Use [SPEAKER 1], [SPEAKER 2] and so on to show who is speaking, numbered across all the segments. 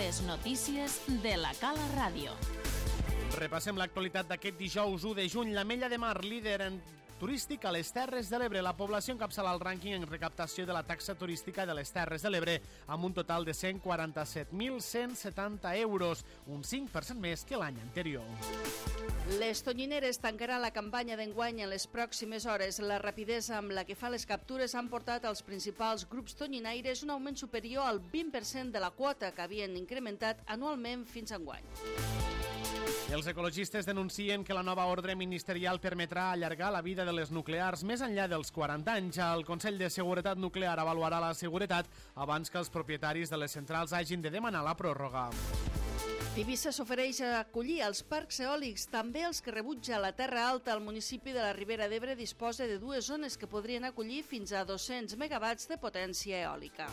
[SPEAKER 1] Les notícies de la Cala Ràdio.
[SPEAKER 2] Repassem l'actualitat d'aquest dijous 1 de juny. L'Ametlla de Mar, líder en turístic a les Terres de l'Ebre. La població encapçala el rànquing en recaptació de la taxa turística de les Terres de l'Ebre, amb un total de 147.170 euros, un 5% més que l'any anterior.
[SPEAKER 3] Les Tonyineres tancaran la campanya d'enguany en les pròximes hores. La rapidesa amb la que fa les captures han portat als principals grups tonyinaires un augment superior al 20% de la quota que havien incrementat anualment fins a enguany.
[SPEAKER 2] Els ecologistes denuncien que la nova ordre ministerial permetrà allargar la vida de les nuclears més enllà dels 40 anys. El Consell de Seguretat Nuclear avaluarà la seguretat abans que els propietaris de les centrals hagin de demanar la pròrroga.
[SPEAKER 3] Tivissa s'ofereix a acollir els parcs eòlics, també els que rebutja la Terra Alta. El municipi de la Ribera d'Ebre disposa de 2 zones que podrien acollir fins a 200 megawatts de potència eòlica.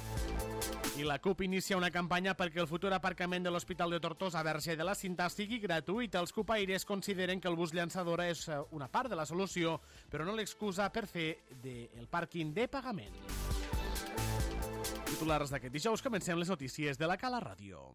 [SPEAKER 2] I la CUP inicia una campanya perquè el futur aparcament de l'Hospital de Tortosa Verge de la Cinta sigui gratuït. Els cupaires consideren que el bus llançadora és una part de la solució, però no l'excusa per fer del pàrquing de pagament. Titulars d'aquest dijous, comencem les notícies de la Cala Ràdio.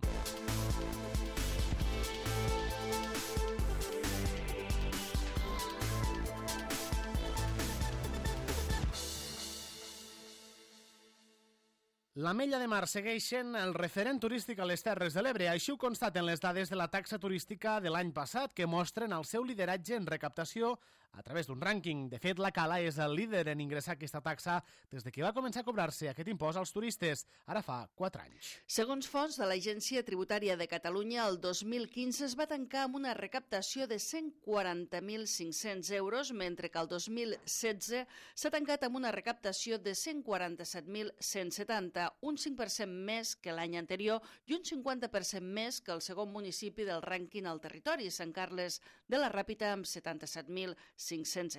[SPEAKER 2] L'Ametlla de Mar segueix sent el referent turístic a les Terres de l'Ebre. Així ho constaten les dades de la taxa turística de l'any passat, que mostren el seu lideratge en recaptació a través d'un rànquing. De fet, la Cala és el líder en ingressar aquesta taxa des de que va començar a cobrar-se aquest impost als turistes, ara fa 4 anys.
[SPEAKER 3] Segons fonts de l'Agència Tributària de Catalunya, el 2015 es va tancar amb una recaptació de 140.500 euros, mentre que el 2016 s'ha tancat amb una recaptació de 147.170, un 5% més que l'any anterior i un 50% més que el segon municipi del rànquing al territori, Sant Carles de la Ràpita, amb 77.500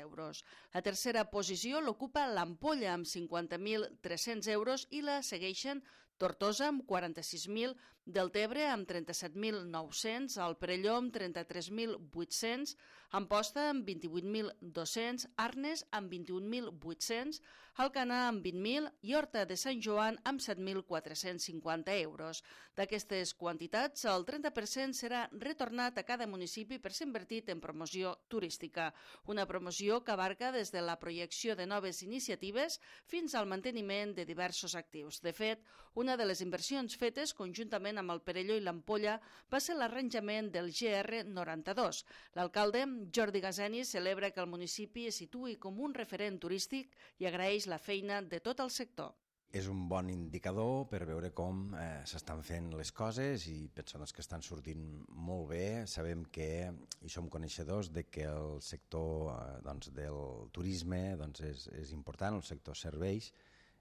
[SPEAKER 3] euros. La tercera posició l'ocupa l'Ampolla, amb 50.300 euros, i la segueixen Tortosa, amb 46.000, Deltebre, amb 37.900, el Perelló, amb 33.800, Amposta, amb 28.200, Arnes, amb 21.800, Alcanar, amb 20.000 i Horta de Sant Joan, amb 7.450 euros. D'aquestes quantitats, el 30% serà retornat a cada municipi per ser invertit en promoció turística. Una promoció que abarca des de la projecció de noves iniciatives fins al manteniment de diversos actius. De fet, una de les inversions fetes conjuntament amb el Perelló i l'Ampolla va ser l'arranjament del GR92. L'alcalde, Jordi Gazeni, celebra que el municipi es situï com un referent turístic i agraeix la feina de tot el sector.
[SPEAKER 4] És un bon indicador per veure com s'estan fent les coses i pensem que estan sortint molt bé. Sabem que, i som coneixedors, de que el sector del turisme és important, el sector serveis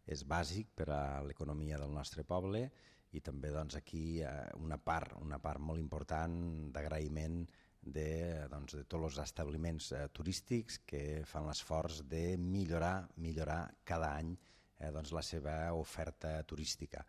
[SPEAKER 4] és bàsic per a l'economia del nostre poble i també aquí una part molt important d'agraïment de tots els establiments turístics que fan l'esforç de millorar cada any la seva oferta turística.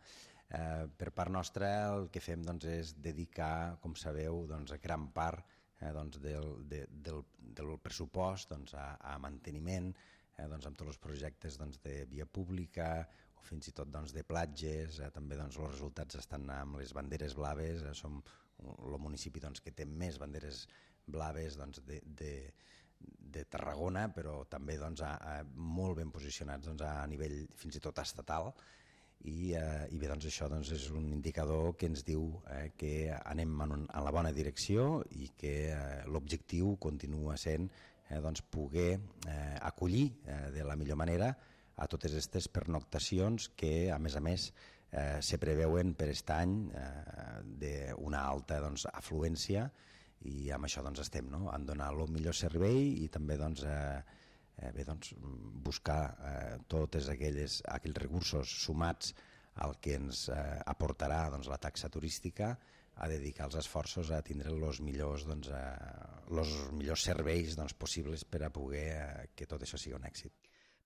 [SPEAKER 4] Per part nostra el que fem és dedicar, com sabeu, gran part del pressupost a manteniment, amb tots els projectes de via pública o fins i tot de platges. També els resultats estan amb les banderes blaves. Som el municipi que té més banderes blaves de Tarragona, però també molt ben posicionats a nivell fins i tot estatal. I bé, això és un indicador que ens diu que anem en la bona direcció i que l'objectiu continua sent poder acollir de la millor manera a totes aquestes pernoctacions que, a més, se preveuen per aquest any d'una alta afluència, i amb això estem en donar el millor servei i també buscar tots aquells recursos sumats al que ens aportarà la taxa turística, a dedicar els esforços a tindre els millors serveis possibles per a poder que tot això sigui un èxit.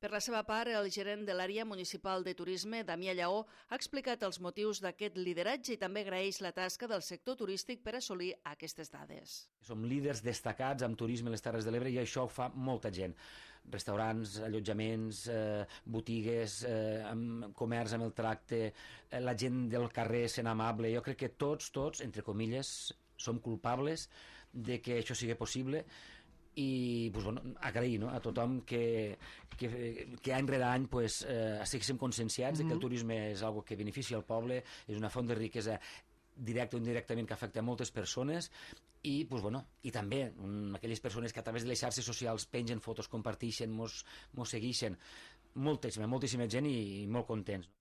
[SPEAKER 3] Per la seva part, el gerent de l'àrea municipal de turisme, Damià Lleó, ha explicat els motius d'aquest lideratge i també agraeix la tasca del sector turístic per assolir aquestes dades.
[SPEAKER 5] Som líders destacats en turisme a les Terres de l'Ebre i això ho fa molta gent. Restaurants, allotjaments, botigues, comerç amb el tracte, la gent del carrer sent amable. Jo crec que tots, entre comilles, som culpables de que això sigui possible i agrair a tothom que any rere any estiguéssim conscienciats de que el turisme és una que beneficia el poble, és una font de riquesa directa o indirectament que afecta a moltes persones i també aquelles persones que a través de les xarxes socials pengen fotos, comparteixen, mos segueixen, moltíssima gent i molt contents.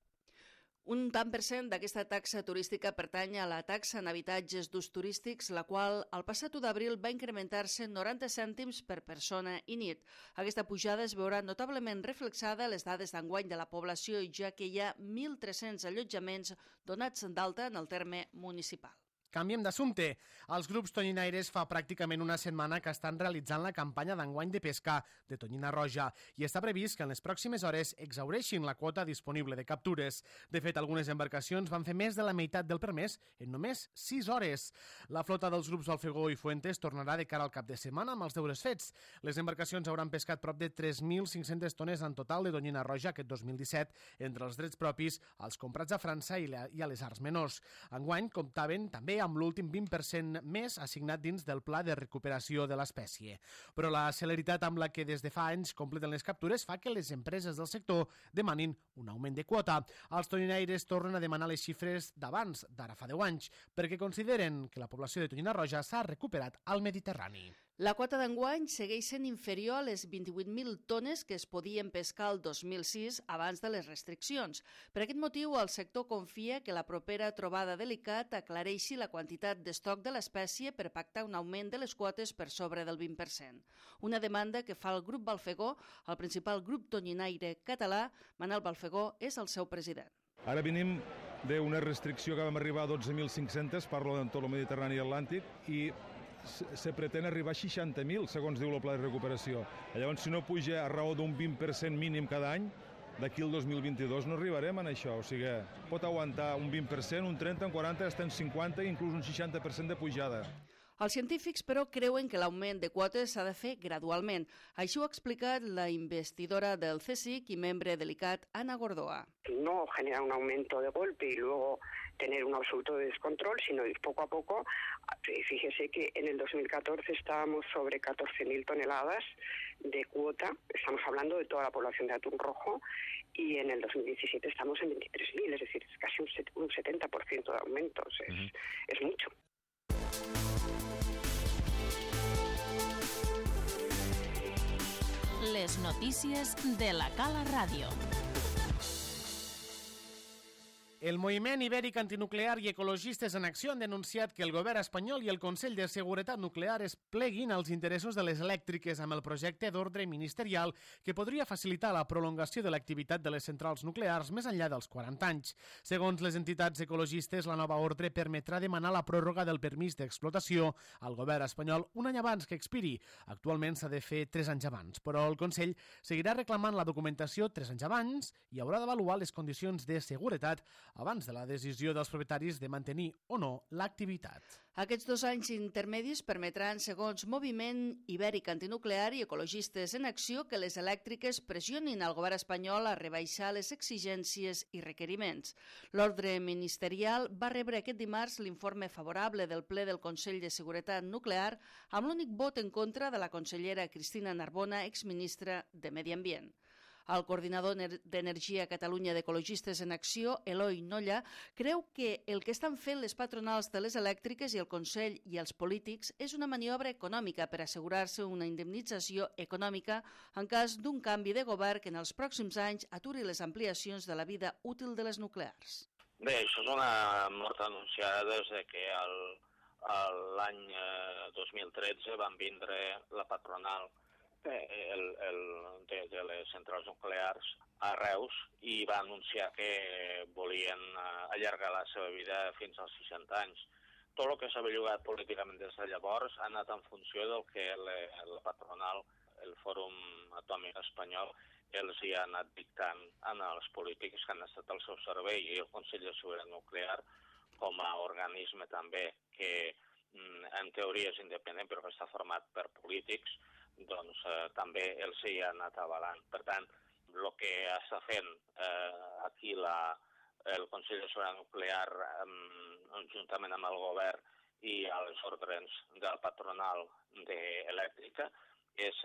[SPEAKER 3] Un tant per cent d'aquesta taxa turística pertany a la taxa en habitatges d'ús turístics, la qual el passat 1 d'abril va incrementar-se 90 cèntims per persona i nit. Aquesta pujada es veurà notablement reflexada a les dades d'enguany de la població, ja que hi ha 1.300 allotjaments donats d'alta en el terme municipal.
[SPEAKER 2] Canviem d'assumpte. Els grups tonyinaires fa pràcticament una setmana que estan realitzant la campanya d'enguany de pesca de tonyina roja i està previst que en les pròximes hores exhaureixin la quota disponible de captures. De fet, algunes embarcacions van fer més de la meitat del permès en només 6 hores. La flota dels grups Balfegó i Fuentes tornarà de cara al cap de setmana amb els deures fets. Les embarcacions hauran pescat prop de 3.500 tones en total de tonyina roja aquest 2017 entre els drets propis, els comprats a França i a les arts menors. Enguany comptaven també amb l'últim 20% més assignat dins del pla de recuperació de l'espècie. Però la celeritat amb la que des de fa anys completen les captures fa que les empreses del sector demanin un augment de quota. Els tonyinaires tornen a demanar les xifres d'abans, d'ara fa 10 anys, perquè consideren que la població de tonyina roja s'ha recuperat al Mediterrani.
[SPEAKER 3] La quota d'enguany segueix sent inferior a les 28.000 tones que es podien pescar el 2006 abans de les restriccions. Per aquest motiu, el sector confia que la propera trobada de l'ICAT aclareixi la quantitat d'estoc de l'espècie per pactar un augment de les quotes per sobre del 20%. Una demanda que fa el grup Balfegó, el principal grup tonyinaire català. Manel Balfegó és el seu president.
[SPEAKER 6] Ara venim d'una restricció que vam arribar a 12.500, parlo de tot el Mediterrani i Atlàntic, i se pretén arribar a 60.000, segons diu el pla de recuperació. Llavors, si no puja a raó d'un 20% mínim cada any, d'aquí al 2022 no arribarem a això. O sigui, pot aguantar un 20%, un 30%, un 40%, fins un 50%, inclús un 60% de pujada.
[SPEAKER 3] Els científics, però, creuen que l'augment de quotes s'ha de fer gradualment. Així ho ha explicat la investidora del CSIC y membre de l'ICAT, Ana Gordoa.
[SPEAKER 7] No generar un aumento de golpe y luego tener un absoluto descontrol, sino ir poco a poco. Fíjese que en el 2014 estábamos sobre 14.000 toneladas de cuota, estamos hablando de toda la población de atún rojo, y en el 2017 estamos en 23.000, es decir, es casi un 70% de aumentos, es mucho.
[SPEAKER 1] Les notícies de la Cala Ràdio.
[SPEAKER 2] El Moviment Ibèric Antinuclear i Ecologistes en Acció han denunciat que el govern espanyol i el Consell de Seguretat Nuclear es pleguin als interessos de les elèctriques amb el projecte d'ordre ministerial que podria facilitar la prolongació de l'activitat de les centrals nuclears més enllà dels 40 anys. Segons les entitats ecologistes, la nova ordre permetrà demanar la pròrroga del permís d'explotació al govern espanyol un any abans que expiri. Actualment s'ha de fer 3 anys abans, però el Consell seguirà reclamant la documentació 3 anys abans i haurà d'avaluar les condicions de seguretat abans de la decisió dels propietaris de mantenir o no l'activitat.
[SPEAKER 3] Aquests 2 anys intermedis permetran, segons Moviment Ibèric Antinuclear i Ecologistes en Acció, que les elèctriques pressionin al govern espanyol a rebaixar les exigències i requeriments. L'ordre ministerial va rebre aquest dimarts l'informe favorable del ple del Consell de Seguretat Nuclear amb l'únic vot en contra de la consellera Cristina Narbona, exministra de Medi Ambient. El coordinador d'Energia Catalunya d'Ecologistes en Acció, Eloi Nolla, creu que el que estan fent les patronals de les elèctriques i el Consell i els polítics és una maniobra econòmica per assegurar-se una indemnització econòmica en cas d'un canvi de govern que en els pròxims anys aturi les ampliacions de la vida útil de les nuclears.
[SPEAKER 8] Bé, això és una mort anunciada des que l'any 2013 van vindre la patronal de les centrals nuclears a Reus i va anunciar que volien allargar la seva vida fins als 60 anys. Tot el que s'ha bellugat políticament des de llavors ha anat en funció del que la patronal, el Fòrum Atòmic Espanyol, els hi ha anat dictant als polítics que han estat al seu servei, i el Consell de Seguretat Nuclear, com a organisme també que en teoria és independent però que està format per polítics, doncs també els hi ha anat avalant. Per tant, el que està fent aquí el Consell de Seguretat Nuclear, juntament amb el govern i a les ordres del patronal elèctrica, és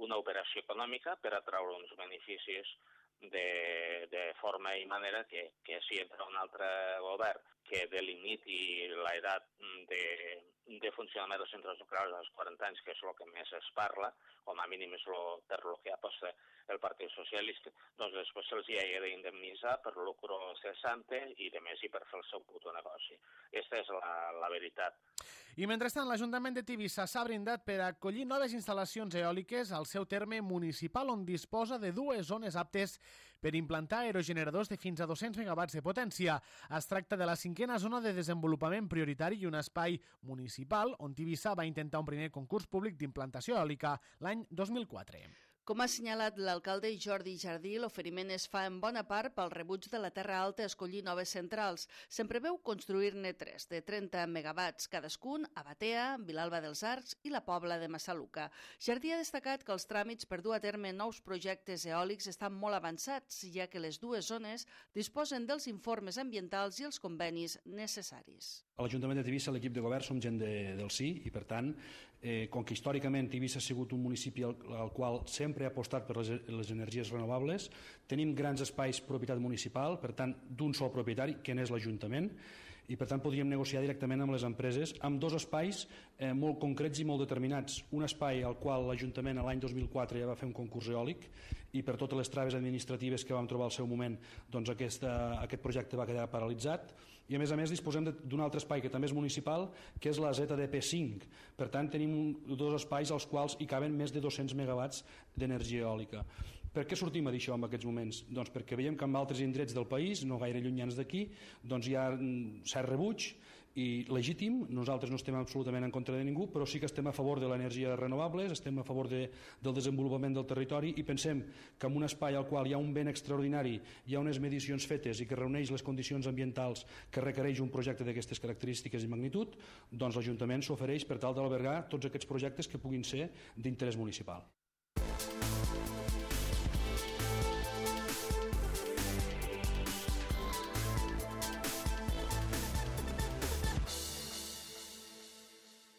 [SPEAKER 8] una operació econòmica per atraure uns beneficis de forma i manera que si entra un altre govern que delimiti l'edat de funcionament dels centres nuclears als 40 anys, que és el que més es parla, com a mínim és per el que aposta el Partit Socialista, doncs després se'ls hi ha d'indemnitzar per lucro cessante i de més i per fer el seu puto negoci. Aquesta és la veritat.
[SPEAKER 2] I mentrestant, l'Ajuntament de Tivissa s'ha brindat per acollir noves instal·lacions eòliques al seu terme municipal, on disposa de 2 zones aptes per implantar aerogeneradors de fins a 200 megawatts de potència. Es tracta de la 5a zona de desenvolupament prioritari i un espai municipal on Tivissa va intentar un primer concurs públic d'implantació eòlica l'any 2004.
[SPEAKER 3] Com ha assenyalat l'alcalde Jordi Jardí, l'oferiment es fa en bona part pel rebuig de la Terra Alta a escollir noves centrals. Se'n preveu construir-ne 3, de 30 megawatts cadascun, a Batea, Vilalba dels Arcs i la Pobla de Massaluca. Jardí ha destacat que els tràmits per dur a terme nous projectes eòlics estan molt avançats, ja que les 2 zones disposen dels informes ambientals i els convenis necessaris.
[SPEAKER 9] A l'Ajuntament de Tivissa, l'equip de govern, som gent del sí i, per tant, com que històricament Tivissa ha sigut un municipi al qual sempre ha apostat per les energies renovables, tenim grans espais propietat municipal, per tant, d'un sol propietari, que n'és l'Ajuntament, i per tant podríem negociar directament amb les empreses amb 2 espais molt concrets i molt determinats. Un espai al qual l'Ajuntament l'any 2004 ja va fer un concurs eòlic i per totes les traves administratives que vam trobar al seu moment, doncs aquest projecte va quedar paralitzat. I a més disposem d'un altre espai que també és municipal, que és la ZDP5. Per tant, tenim 2 espais als quals hi caben més de 200 megawatts d'energia eòlica. Per què sortim a dir això en aquests moments? Doncs perquè veiem que en altres indrets del país, no gaire llunyans d'aquí, doncs hi ha cert rebuig i legítim. Nosaltres no estem absolutament en contra de ningú, però sí que estem a favor de l'energia renovables, estem a favor del desenvolupament del territori i pensem que en un espai al qual hi ha un ben extraordinari, hi ha unes medicions fetes i que reuneix les condicions ambientals que requereix un projecte d'aquestes característiques i magnitud, doncs l'Ajuntament s'ofereix per tal d'albergar tots aquests projectes que puguin ser d'interès municipal.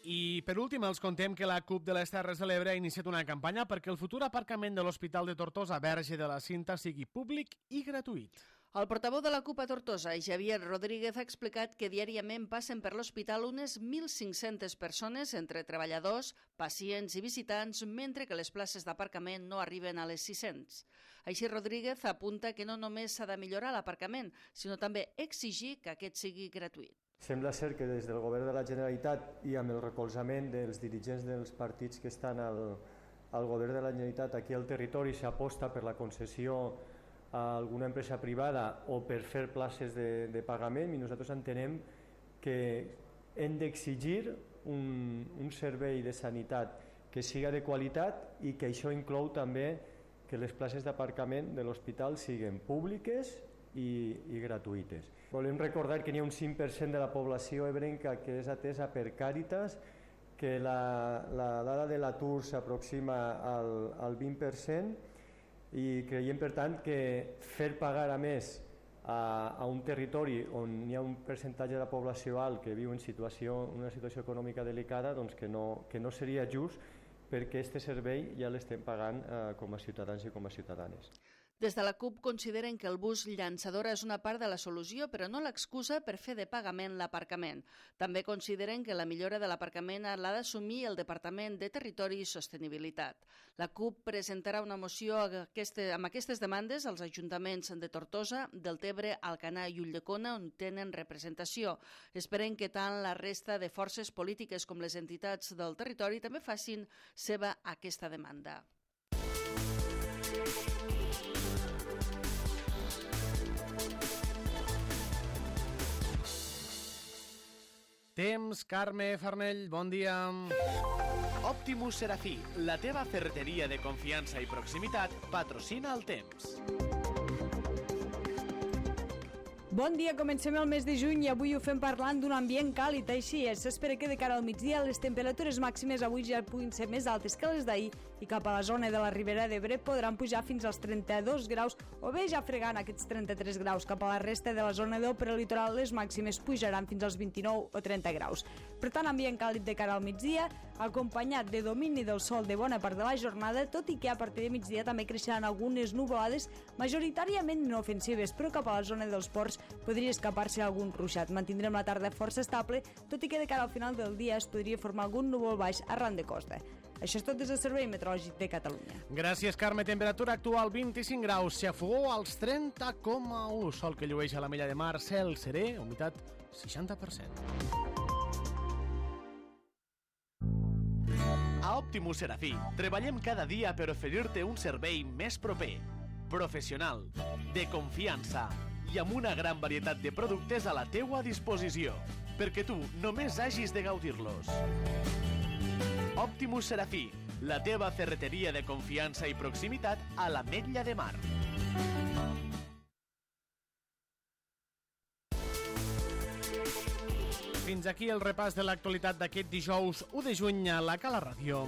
[SPEAKER 2] I per últim els contem que la CUP de les Terres de l'Ebre ha iniciat una campanya perquè el futur aparcament de l'Hospital de Tortosa Verge de la Cinta sigui públic i gratuït.
[SPEAKER 3] El portaveu de la CUP a Tortosa, Javier Rodríguez, ha explicat que diàriament passen per l'hospital unes 1.500 persones, entre treballadors, pacients i visitants, mentre que les places d'aparcament no arriben a les 600. Així, Rodríguez apunta que no només s'ha de millorar l'aparcament, sinó també exigir que aquest sigui gratuït.
[SPEAKER 10] Sembla ser que des del govern de la Generalitat i amb el recolzament dels dirigents dels partits que estan al govern de la Generalitat aquí al territori s'aposta per la concessió a alguna empresa privada o per fer places de pagament, i nosaltres entenem que hem d'exigir un servei de sanitat que siga de qualitat i que això inclou també que les places d'aparcament de l'hospital siguin públiques i gratuïtes. Volem recordar que n'hi ha un 5% de la població ebrenca que és atesa per Càritas, que la dada de l'atur s'aproxima al 20%, i creiem, per tant, que fer pagar a més a un territori on hi ha un percentatge de la població alt que viu en una situació econòmica delicada, doncs que no seria just, perquè aquest servei ja l'estem pagant com a ciutadans i com a ciutadanes.
[SPEAKER 3] Des de la CUP consideren que el bus llançadora és una part de la solució, però no l'excusa per fer de pagament l'aparcament. També consideren que la millora de l'aparcament l'ha d'assumir el Departament de Territori i Sostenibilitat. La CUP presentarà una moció amb aquestes demandes als ajuntaments de Tortosa, Deltebre, Alcanar i Ulldecona, on tenen representació. Esperen que tant la resta de forces polítiques com les entitats del territori també facin seva aquesta demanda.
[SPEAKER 2] Temps, Carme Farnell, bon dia.
[SPEAKER 11] Optimus Serafí, la teva ferreteria de confiança i proximitat, patrocina el temps.
[SPEAKER 12] Bon dia, comencem el mes de juny i avui ho fem parlant d'un ambient càlid, així és. S'espera que de cara al migdia les temperatures màximes avui ja puguin ser més altes que les d'ahir i cap a la zona de la Ribera d'Ebre podran pujar fins als 32 graus o bé ja fregant aquests 33 graus. Cap a la resta de la zona del prelitoral les màximes pujaran fins als 29 o 30 graus. Per tant, ambient càlid de cara al migdia, acompanyat de domini del sol de bona part de la jornada, tot i que a partir de migdia també creixeran algunes nuvolades majoritàriament inofensives, però cap a la zona dels ports podria escapar-se algun ruixat. Mantindrem la tarda força estable, tot i que de cara al final del dia es podria formar algun núvol baix arran de costa. Això és tot des del Servei Meteorològic de Catalunya.
[SPEAKER 2] Gràcies, Carme. Temperatura actual 25 graus, xafogó als 30,1. Sol que llueix a la Mella de Mar, cel serè, humitat 60%.
[SPEAKER 11] A Optimus Serafí treballem cada dia per oferir-te un servei més proper, professional, de confiança i amb una gran varietat de productes a la teua disposició, perquè tu només hagis de gaudir-los. Optimus Serafí, la teva ferreteria de confiança i proximitat a l'Ametlla de Mar.
[SPEAKER 2] Fins aquí el repàs de l'actualitat d'aquest dijous 1 de juny a la Cala Ràdio.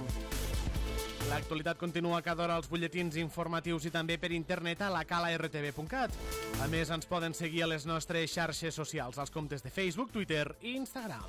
[SPEAKER 2] L'actualitat continua cada hora als butlletins informatius i també per internet a lacalartv.cat. A més, ens poden seguir a les nostres xarxes socials, als comptes de Facebook, Twitter i Instagram.